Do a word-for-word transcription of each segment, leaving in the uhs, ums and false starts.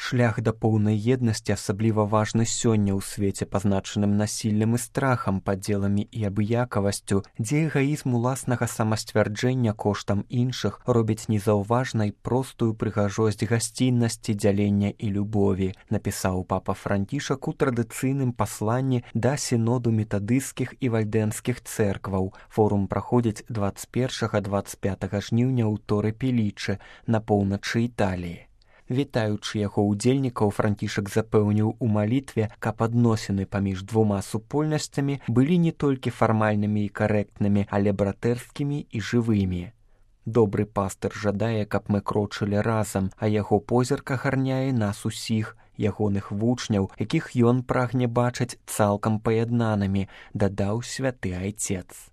Шлях да поўнай еднасці асабліва важны сёння ў свеце, пазначаным насіллем і страхам, падзеламі і абыякавасцю, дзе эгаізм уласнага самасцвярджэння коштам іншых робіць незаўважнай простую прыгажосць гасціннасці, дзялення і любові, напісаў папа Францішак у традыцыйным пасланні да сіноду метадысцкіх і вальдэнскіх цэркваў. Форум праходзіць дваццаць першага - дваццаць пятага жніўня ў Торэ-Пелічы на поўначы Італіі. Вітаючы яго ўдзельнікаў, Францішак запэўніў у малітве, каб адносіны паміж двума супольнасцямі былі не толькі фармальнымі і карэктнымі, але братэрскімі і жывымі. Добры пастыр жадае, каб мы крочылі разам, а яго позірк агарняе нас усіх, ягоных вучняў, якіх ён прагне бачыць цалкам паяднанымі, дадаў святы айцец.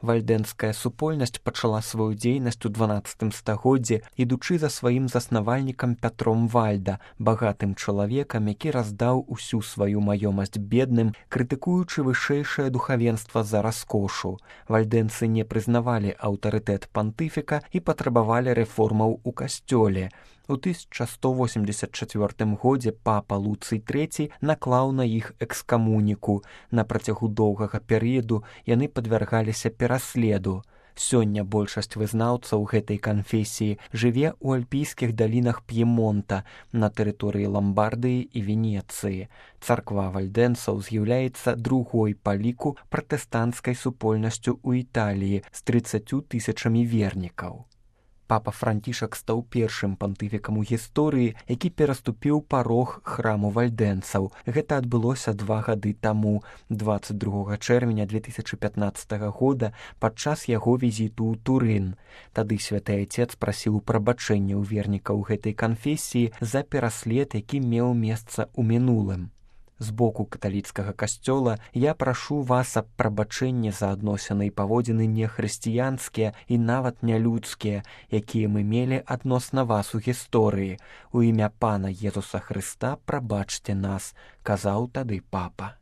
Вальдэнская супольнасць пачала сваю дзейнасць у дванаццатым стагоддзі, ідучы за сваім заснавальнікам Пятром Вальда, багатым чалавекам, які раздаў усю сваю маёмасць бедным, крытыкуючы вышэйшае духавенства за раскошу. Вальдэнцы не прызнавалі аўтарытэт пантыфіка і патрабавалі рэформаў у касцёле. У тысяча сто восемьдесят чацвёртым годзе папа Луцый трэці наклаў на іх экскамуніку. На працягу доўгага перыяду яны падвяргаліся пераследу. Сёння большасць вызнаўцаў гэтай канфесіі жыве ў альпійскіх далінах П'емонта, на тэрыторыі Ламбардыі і Венецыі. Царква вальдэнцаў з'яўляецца другой па ліку пратэстанцкай супольнасцю ў Італіі з трыццаццю тысячамі вернікаў. Папа Францішак стаў першым пантыфікам у гісторыі, які пераступіў парог храму вальдэнцаў. Гэта адбылося два гады таму, дваццаць другога чэрвеня две тысячы пятнаццатага года, падчас яго візіту ў Турын. Тады святы айцец прасіў прабачэння ў вернікаў гэтай канфесіі за пераслед, які меў месца ў мінулым. З боку каталіцкага касцёла я прашу вас аб прабачэнні за адносіны і паводзіны нехрысціянскія і нават нялюдскія, якія мы мелі адносна вас у гісторыі. У імя Пана Езуса Хрыста прабачце нас, казаў тады папа.